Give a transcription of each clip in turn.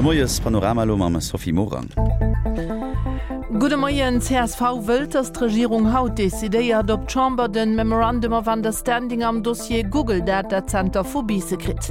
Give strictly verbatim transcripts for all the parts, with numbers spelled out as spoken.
Moiespanorama elo mam Sophie Morang. Gudde Moien, csv wëllt, datt d'Regierung haut decidéiert, ob d'Chamber den Memorandum of Understanding am Dossier Google Datazenter vu Biisse kritt.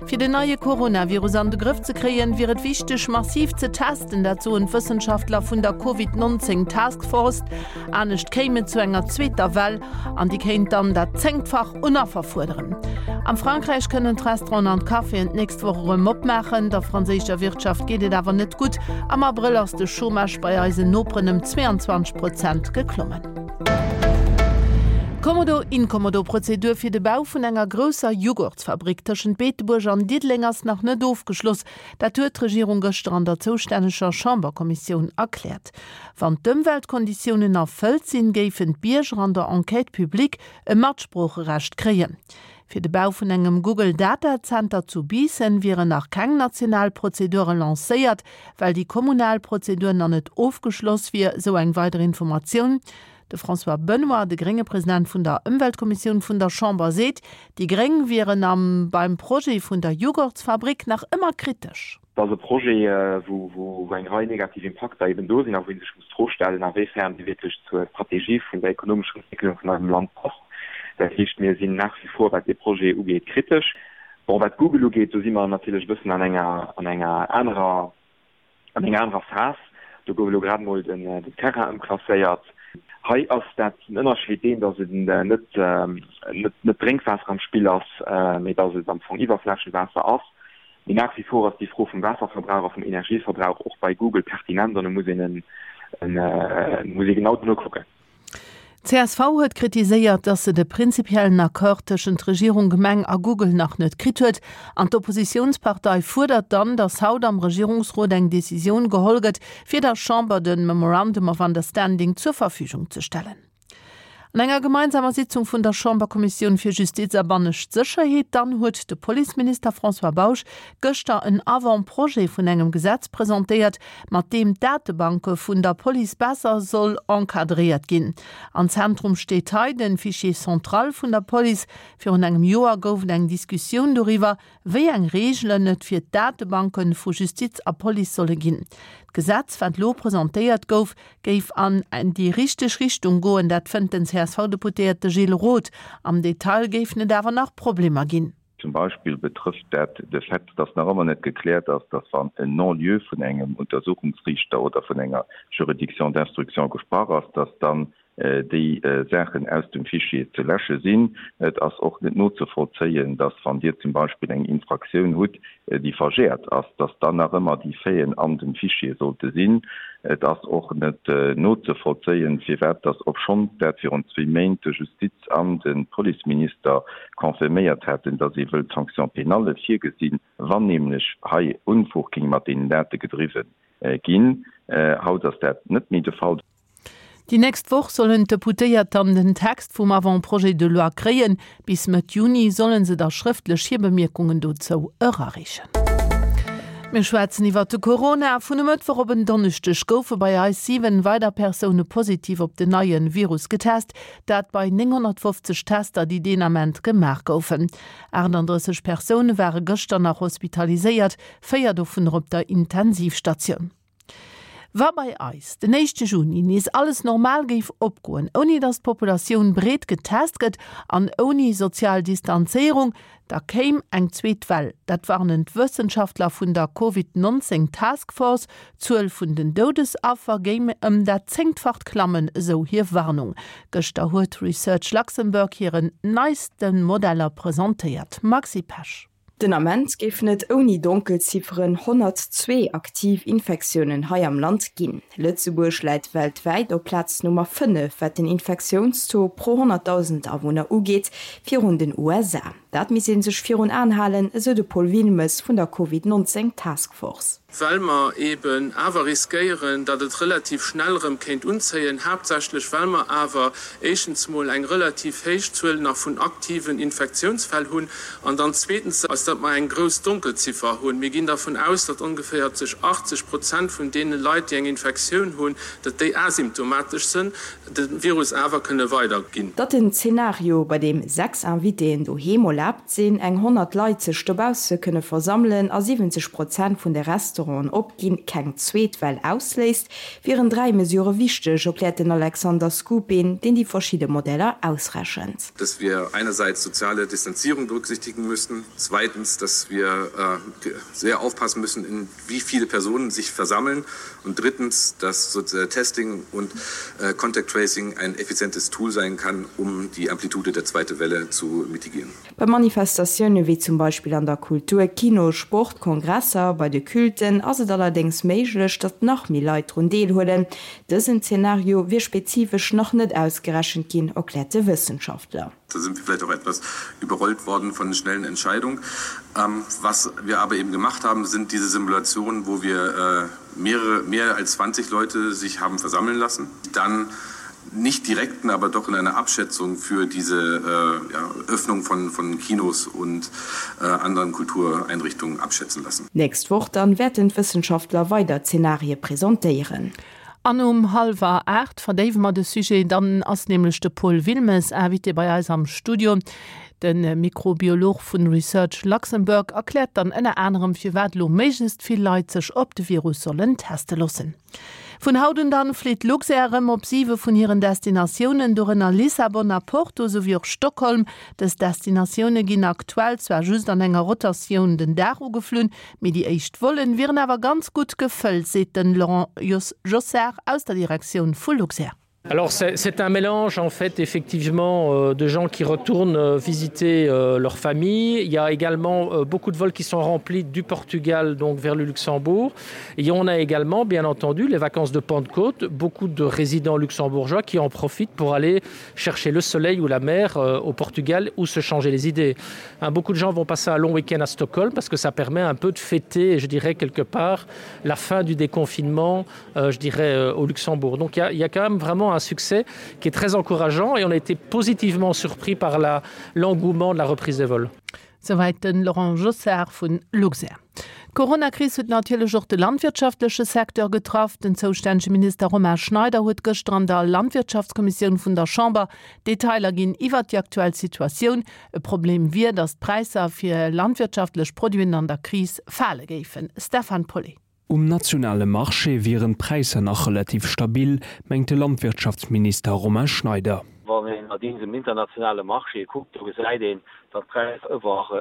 Fir den neie Coronavirus an de Grëff ze kréien, wier et wichteg, massiv ze testen, dat soen d'Wëssenschaftler vun der Covid neunzéng Task Force. Anescht kéim et zu enger zweeter Well an déi kéint dann dat Zéngtfach un Affer fuerderen. Am Frankräich kënnen d'Restauranten an d'Caféen d'nächst Woch erëm opmaachen. Der franséischer Wirtschaft geet et awer net gutt. Am Abrëll ass de Chômage bei eisen Noperen ëm zweeanzwanzeg Prozent geklommen. D'Kommodo-Inkommodo-Prozedur fir de Bau vun enger grousser Jughurtsfabrik tëschent Beetebuerg an Diddeleng ass nach net ofgeschloss. Dat huet d'Regierung gëschter an der zoustänneger Chamberkommissioun erkläert. Wann d'Ëmweltkonditiounen erfëllt sinn, géifen d'Bierger an der Enquête publique e Matsproocherecht kréien. Fir de Bau vun engem Google Datazenter zu Biissen wieren nach keng national Prozedure lancéiert, well déi kommunal Prozedur nach net ofgeschloss wier, sou eng weider Informatioun. De François Benoy, de grénge President vun der Ëmweltkommissioun vun der Chamber, seet, déi Gréng wieren am beim Projet vun der Jughurtsfabrik nach ëmmer kritesch. Et ass e Projet, wou eng Rei negativ Impakter eben do sinn a wou ee sech muss d'Fro stellen, a wéi fern dee wierklech zur Strategie vun der ekonomescher Entwécklung vun eisem Land passt. Dat heescht, mir sinn nach wie vor, wat dee Projet ugeet, kritesch. Bon, wat Google ugeet, do si mer natierlech e bëssen an enger, an enger anerer, an enger anerer Phas. Do gouf elo grad emol den Terrain ëmklasséiert. Hei ass dat den Ënnerscheed deen, datt et net, net Drénkwaasser am Spill ass, mee datt et am Fong Iwwerflächewaasser ass. Mee nach wie vor ass déi Fro vum Waasserverbrauch a vum Energieverbrauch och bei Google pertinent an do muss een muss ee genau dono kucken. Csv huet kritiséiert, datt se de prinzipiellen Accord tëschent Regierung, Gemeng a Google nach net kritt huet. An d'Oppositiounspartei fuerdert dann, datt haut am Regierungsrot eng Decisioun geholl gëtt, fir der Chamber de Memorandum of Understanding zur Verfügung ze stellen. An enger gemeinsamer Sitzung vun der Chamberkommissioun fir Justiz a bannescht Sécherheet dann huet de Policeminister François Bausch gëschter en Avant-projet vun engem Gesetz presentéiert, mat deem d'Datebanke vun der Police besser soll encadréiert ginn. Am Zentrum steet hei de Fichier central vun der Police. Virun engem Joer gouf et eng Diskussioun doriwwer, wéi eng Reegelen et fir d'Datebanke vu Justiz a Police solle ginn. D'Gesetz, wat elo presentéiert gouf, géif an déi richteg Richtung goen, dat fënnt den C S V-Deputéierte Gilles Roth. Am Detail géifen et awer nach Problemer ginn. Zum Beispill betrëfft dat de Fait, dass nach ëmmer net gekläert ass, dass wann en Non-lieu vun engem Untersuchungsriichter oder vun enger Juridiction d'instruction gesprach ass, dass dann déi Saachen aus dem Fichier ze läsche sinn. Et ass och net nozevollzéien, dass wann Dir zum Beispill eng Infraktioun hutt, déi verjährt ass, dass dann nach ëmmer déi Faiten an dem Fichier sollte sinn. Et ass och net nozevollzéien, firwat dass, obschonns dat virun zwee Méint de Justiz an de Policeminister confirméiert haten, dass ee wëllt Sanction-pénalle virgesinn, wann nämlech hei Unfug géing mat deenen Date gedriwwen ginn. Haut ass dat net méi de Fall. Déi nächst Woch sollen d'Deputéiert dann den Text vum Avant-projet de loi kréien. Bis Mëtt Juni solle se da schrëftlech hir Bemierkungen dozou erareechen. Mir schwätzen iwwert de Corona. Vun e Mëttwoch op en Donneschdeg goufe bei eis siwen weider Persoune positiv op den neie Virus getest, dat bei nénghonnertfofzeg Tester, déi deen Ament gemaach goufen. achtandrësseg Persoune ware gëschter nach hospitaliséiert, véier dovunner op der Intensivstatioun. Wa bei eis den éischte Juni nees alles normal géif opgoen, ouni datt d'Populatioun breet getest gëtt an ouni sozial Distanzéierung, da kéim eng zweet Well. Dat warnen d'Wëssenschaftler vun der Covid neunzéng Task Force. D'Zuel vun den Doudesaffer géing ëm dat Zéngtfacht klammen, esou hir Warnung. Gëschter huet Research Luxembourg hiren neiste Modeller presentéiert. Maxi Pesch. Den Ament géifen et ouni Donkelzifferen honnertzwee aktiv Infektiounen hei am Land ginn. Lëtzebuerg läit weltwäit op Plaz Nummer fënnef wat den Infektiounstaux pro honnertdausend Awunner ugeet, virun den U S A. Dat misst ee sech virun Aen halen, esou de Paul Wilmes vun der Covid neunzéng Task Force. Well mer eeben awer riskéieren, datt et relativ schnell erëm kéint unzéien, haaptsächlech well mer awer éischtens mol eng relativ héich Zuel nach vun aktiven Infektionsfäll hunn an dann zweetens, datt mer eng grouss Donkelziffer hunn. Mir ginn dervun aus, datt ongeféier sech achtzeg Prozent vun deene Leit, déi eng Infektioun hunn, datt déi asymptomatesch sënn, de Virus awer kënne weiderginn. Datt den Zenario, bei deem sechs Invitéen doheem erlaabt sinn, eng honnert Leit sech dobausse kënne versammelen a siwwenzeg Prozent vun de Restauranten opginn, keng zweet Well ausléist, wieren dräi Mesurë wichteg, erkläert den Alexander Skupin, deen déi verschidde Modeller ausrechent. Dass wir einerseits soziale Distanzierung berücksichtigen müssen, zweitens, dass wir sehr aufpassen müssen, in wie viele Personen sich versammeln und drittens, dass Testing und Contact Tracing ein effizientes Tool sein kann, um die Amplitude der zweite Welle zu mitigieren. Bei Manifestatioune wéi zum Beispill an der Kultur, Kino, Sport, Kongresser, bei de Culten ass et allerdéngs méiglech, datt nach méi Leit drun deelhuelen. Dësen Zenario wier spezifesch nach net ausgerechent ginn, erkläert de Wëssenschaftler. Da sind wir vielleicht auch etwas überrollt worden von schnellen Entscheidungen. Was wir aber eben gemacht haben, sind diese Simulationen, wo wir mehrere, mehr als zwanzig Leute sich haben versammeln lassen. Dann nicht direkten, aber doch in einer Abschätzung für diese äh, ja, Öffnung von, von Kinos und äh, anderen Kultureinrichtungen abschätzen lassen. Nächst Woch dann wäerten d'Wëssenschaftler weider Zenarie presentéieren. An um hallwer aacht verdéiwe mer de Sujet, dann ass nämlech de Paul Wilmes Invité bei eis am Studio. De Mikrobiolog vun Research Luxembourg erkläert dann ënner anerem firwat elo méiglechst vill Leit sech op de Virus sollen teste loossen. Vun haut un dann flitt Luxair erëm op siwe vun hiren Destinatiounen, dorënner Lissabon a Porto souwéi och Stockholm. Dës Destinatioune ginn aktuell zwar just an enger Rotatioun den Dag ugeflunn, mee déi éischt Vollen wieren awer ganz gutt gefëllt, seet den Laurent Jossart aus der Direktioun vu Luxair. Alors c'est un mélange en fait effectivement euh, de gens qui retournent euh, visiter euh, leur famille. Il y a également beaucoup de vols qui sont remplis du Portugal donc vers le Luxembourg. Et on a également bien entendu les vacances de Pentecôte, beaucoup de résidents luxembourgeois qui en profitent pour aller chercher le soleil ou la mer au Portugal ou se changer les idées. Hein, beaucoup de gens vont passer un long week-end à Stockholm parce que ça permet un peu de fêter, je dirais quelque part, la fin du déconfinement, euh, je dirais euh, au Luxembourg. Donc il y a, il y a quand même vraiment un succès qui est très encourageant et on a été positivement surpris par l'engouement de la reprise des vols. Souwäit de Laurent Jossart vun Luxair. D'Coronakris huet natierlech och de landwirtschaftleche Secteur getraff. Den zoustännege Minister Romain Schneider huet gëschter an der Landwirtschaftskommissioun vun der Chamber Detailer ginn iwwert déi aktuell Situatioun. E Problem wier, datt d'Präisser fir landwirtschaftlech Produiten an der Kris fale géifen. Stefan Pauly. Um nationale Marché wieren d'Präisser nach relativ stabil, mengt de Landwirtschaftsminister Romain Schneider. Wann een allerdings um internationale Marché kuckt, do gesäit een, datt d'Präisser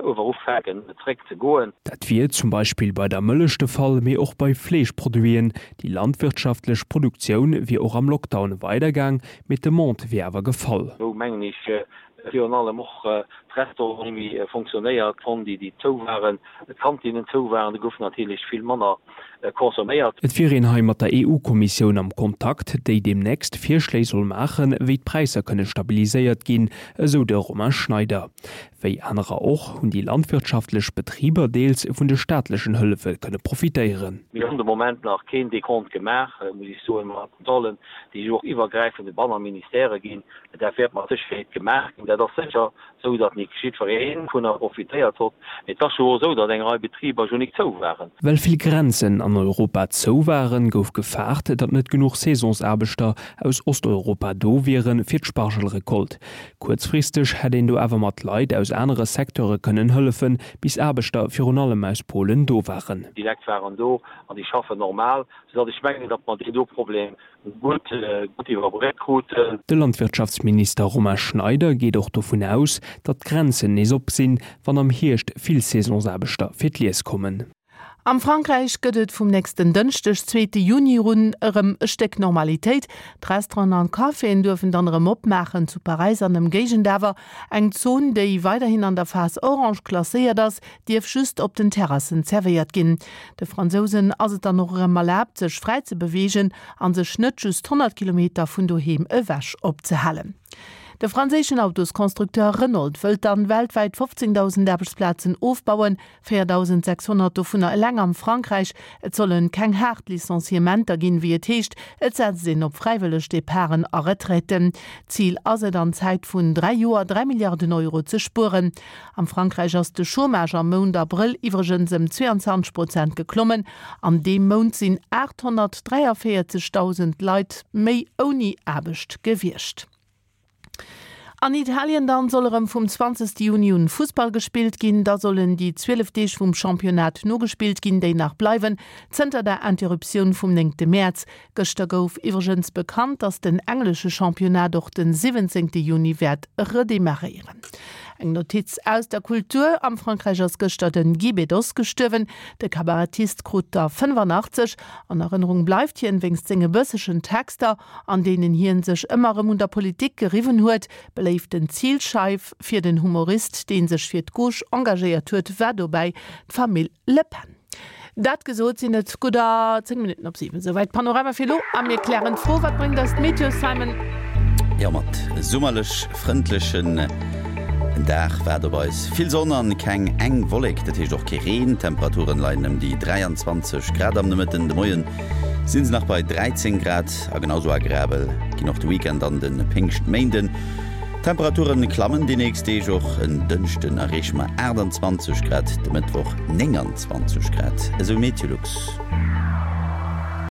ower ufänken zeréck ze goen. Dat wier zum Beispill bei der Mëllech de Fall, mee och bei Fleeschproduiten. Déi landwirtschaftlech Produktioun wier och am Lockdown weidergaang, mee d'Demande wier awer gefall. Wou mengen ech virun allem och d'Restauranten hu méi fonctionnéiert, d'Fondi déi zou waren, d'Kantinen zou waren, do gouf natierlech vill manner consomméiert. Et wier een hei mat der E U-Kommissioun am Kontakt, déi deemnächst Virschléi soll maachen, wéi d'Präisser kënne stabiliséiert ginn, esou de Romain Schneider. Wéi anerer och, hunn déi landwirtschaftlech Betriber deels vun de staatlechen Hëllefe kënne profitéieren. Mir hunn de Moment nach keen Decompte gemaach, muss ech soen, mat Kontrollen, déi jo och iwwergräifend op aner Ministèrë ginn. Dat wäert mat Sécherheet gemaach ginn. Dat ass sécher esou, datt nik jiddweree dovunner profitéiert hott. Mee et ass jo och esou, datt eng Rei Betriber jo nik zou waren. Well vill Grenzen an Europa zou waren, gouf gefaart, datt net genuch Saisonsaarbechter aus Osteuropa do wieren, fir d'Spargelrecolte. Kuerzfristeg hätt een do awer mat Leit aus anere Secteure kënnen hëllefen, bis Aarbechter virun allem aus Polen do waren. Déi Leit waren do an déi schaffen normal, soudatt ech mengen, datt mer deen do Problem gutt iwwerbréckt kruten. De Landwirtschaftsminister Romain Schneider geet och dovun aus, datt d'Grenzen nees op sinn, wann am Hierscht vill Saisonsaarbechter fir d'Lies kommen. Am Frankräich gëtt et vum nächsten Dënschdeg, zweete Juni un, erëm e Stéck Normalitéit. D'Restauranten an d'Caféen duerfen dann erëm opmaachen, zu Paräis an Ëmgéigend awer. Eng Zon, déi weiderhin an der Phas orange klasséiert ass, dierf just op den Terrassen zerwéiert ginn. De Fransousen ass et dann och erëm erlaabt, sech fräi ze beweegen a sech net just honnert Kilometer vun doheem ewech opzehalen. De franséischen Autosconstructeur Renault wëllt dann weltwäit fofzéngdausend Aarbechtsplazen ofbauen, véierdausend sechshonnert dovunner eleng am Frankräich. Et sollen keng haart Licenciementer ginn, wéi et heescht. Et setzt een op fräiwëlleg Departen a Retraiten. Zil ass et, an Zäit vun dräi Joer dräi Milliarden Euro ze spueren. Am Frankräich ass de Chômage am Mount Abrëll iwwregens ëm zweiundzwanzeg Prozent geklommen. An deem Mount sinn aathonnertdräiavéierzegdausend Leit méi ouni Aarbecht gewiescht. An Italien dann soll erëm vum zwanzegste Juni un Fussball gespillt ginn. Da sollen déi zwielef Deeg vum Championnat nogespillt ginn, déi nach bleiwen zënter der Interruptioun vum néngte Mäerz. Gëschter gouf iwwregens bekannt, datt den englesche Championnat och den siwwenzéngte Juni wäert redemarréieren. Eng Notiz aus der Kultur, Am Frankräich ass gëschter den Guy Bedos gestuerwen. De Kabarettist krut der fënnefannachtzeg. An Erënnerung bleift hien wéinst senge bëssegen Texter, an deenen hien sech ëmmer erëm un der Politik geriwwen huet. Beléiften Zilscheif fir den Humorist, dee sech fir d'Gauche engagéiert huet, war dobäi d'Famill Le Pen. Dat gesot, sinn et gudder zéng Minutten op siwen. Souwäit Panorama fir elo a mir klären d'Fro, Wat bréngt eis d'Meteo, Simon? Jo, mat summerlech frëndlechen Dag waart op eis. Vill Sonn an keng eng Wollek, dat heescht och kee Reen. D'Temperaturen leien ëm déi dräianzwanzeg Grad am Nomëtten. De Moien sinn se nach bei dräizéng Grad a genau sou agreabel ginn och de Weekend an de Péngschtméinden. D'Temperaturen klammen déi nächst Deeg, och en Dënschden erreeche mer aachtanzwanzeg Grad, de Mëttwoch nénganzwanzeg Grad, esou Meteolux.